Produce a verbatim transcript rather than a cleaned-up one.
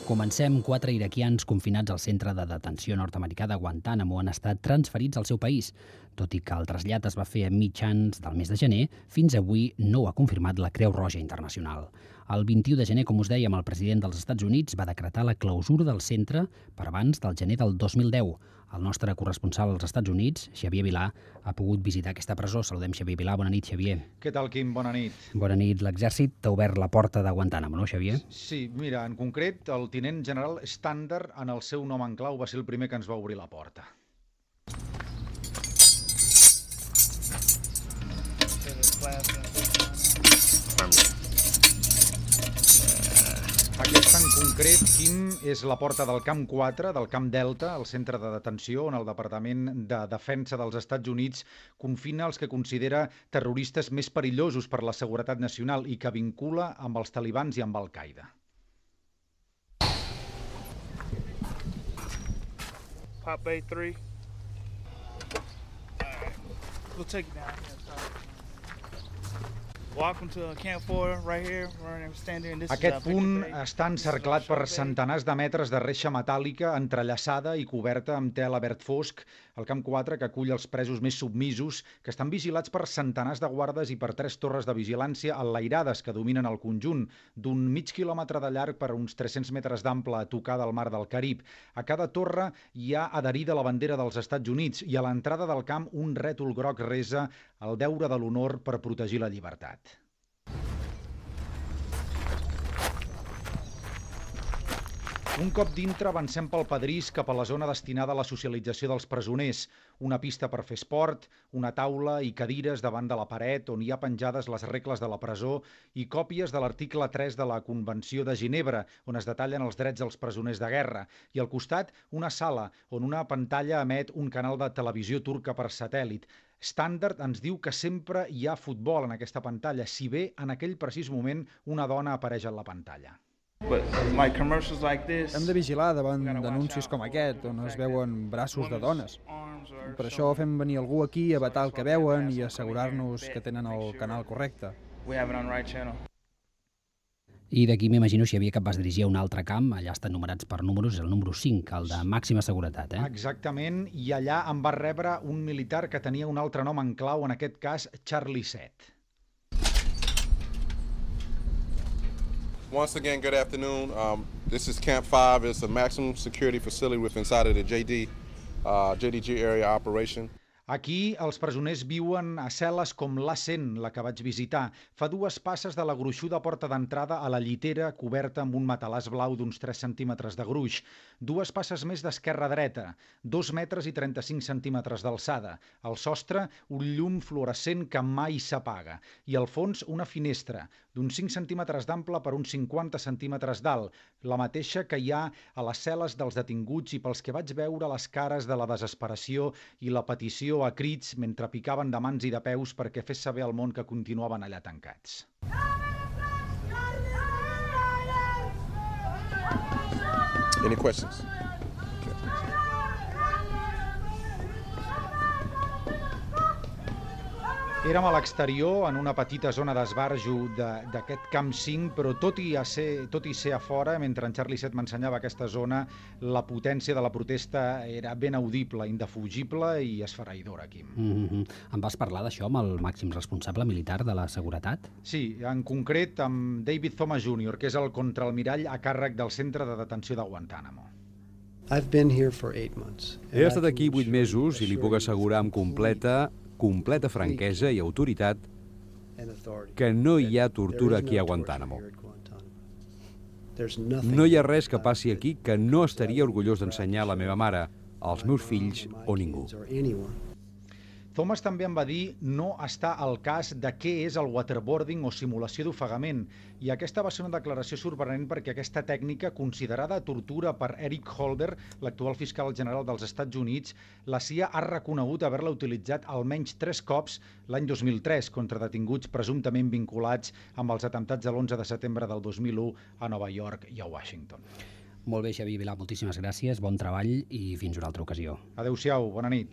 Comencem. Quatre iraquians confinats al centre de detenció nord-americà de Guantánamo han estat transferits al seu país. Tot i que el trasllat es va fer a mitjans del mes de gener, fins avui no ho ha confirmat la Creu Roja Internacional. El vint-i-u de gener, com us dèiem, el president dels Estats Units va decretar la clausura del centre per abans del gener del dos mil deu. El nostre corresponsal als Estats Units, Xavier Vilà, ha pogut visitar aquesta presó. Saludem Xavier Vilà. Bona nit, Xavier. Què tal, Quim? Bona nit. Bona nit. L'exèrcit t'ha obert la porta de Guantánamo, no, Xavier? Sí, mira, en concret, el tinent general Standard, en el seu nom en clau, va ser el primer que ens va obrir la porta. Aquesta en concret, Quim, és la porta del Camp quatre, del Camp Delta, el centre de detenció on el Departament de Defensa dels Estats Units confina els que considera terroristes més perillosos per la seguretat nacional i que vincula amb els talibans i amb Al-Qaeda. Pop A three. Alright. We'll take it down here. Welcome to Camp four right here. We're standing in this. Aquest punt està encerclat per centenars de metres de reixa metàl·lica entrellaçada i coberta amb tela verd fosc. El Camp quatre, que acull els presos més submisos, que estan vigilats per centenars de guardes i per tres torres de vigilància enlairades que dominen el conjunt, d'un mig quilòmetre de llarg per uns tres-cents metres d'ample a tocar del mar del Carib. A cada torre hi ha adherida la bandera dels Estats Units i a l'entrada del camp un rètol groc resa el deure de l'honor per protegir la llibertat. Un cop dintre avancem pel pedrís cap a la zona destinada a la socialització dels presoners, una pista per fer esport, una taula i cadires davant de la paret on hi ha penjades les regles de la presó i còpies de l'article tres de la Convenció de Ginebra, on es detallen els drets dels presoners de guerra, i al costat una sala on una pantalla emet un canal de televisió turca per satèl·lit. Standard ens diu que sempre hi ha futbol en aquesta pantalla, si bé en aquell precís moment una dona apareix a la pantalla. Hem de vigilar davant d'anuncis com aquest, on es veuen braços de dones. Per això fem venir algú aquí a vetar el que veuen i assegurar-nos que tenen el canal correcte. I d'aquí m'imagino, Xavier, que et vas dirigir a un altre camp, allà estan numerats per números, el número cinc, el de màxima seguretat, eh? Exactament, i allà em va rebre un militar que tenia un altre nom en clau, en aquest cas Charlie set. Once again, good afternoon. Um, this is Camp five. It's a maximum security facility with inside of the J D, uh, J D G area operation. Aquí els presoners viuen a cel·les com l'A cent, la que vaig visitar. Fa dues passes de la gruixuda porta d'entrada a la llitera coberta amb un matalàs blau d'uns tres centímetres de gruix. Dues passes més d'esquerra a dreta, dos metres i trenta-cinc centímetres d'alçada. Al sostre, un llum fluorescent que mai s'apaga. I al fons, una finestra, d'uns cinc centímetres d'ample per uns cinquanta centímetres d'alt, la mateixa que hi ha a les cel·les dels detinguts i pels que vaig veure les cares de la desesperació i la petició a crits mentre picaven de mans i de peus perquè fes saber al món que continuaven allà tancats. Any questions? Érem a l'exterior, en una petita zona d'esbarjo d'aquest Camp cinc, però tot i, a ser, tot i ser a fora, mentre en Charlie set m'ensenyava aquesta zona, la potència de la protesta era ben audible, indefugible i esfereïdora, Quim. Mm-hmm. Em vas parlar d'això amb el màxim responsable militar de la seguretat? Sí, en concret amb David Thomas júnior, que és el contraalmirall a càrrec del centre de detenció de Guantánamo. He estat aquí vuit mesos i li puc assegurar amb completa completa franquesa i autoritat que no hi ha tortura aquí a Guantánamo. No hi ha res que passi aquí que no estaria orgullós d'ensenyar a la meva mare, als meus fills o ningú. Thomas també em va dir no està al cas de què és el waterboarding o simulació d'ofegament, i aquesta va ser una declaració sorprenent perquè aquesta tècnica, considerada tortura per Eric Holder, l'actual fiscal general dels Estats Units, la C I A ha reconegut haver-la utilitzat almenys tres cops l'any dos mil tres contra detinguts presumptament vinculats amb els atemptats de l'onze de setembre del dos mil u a Nova York i a Washington. Molt bé, Xavier Vilà, moltíssimes gràcies, bon treball i fins una altra ocasió. Adéu-siau, bona nit.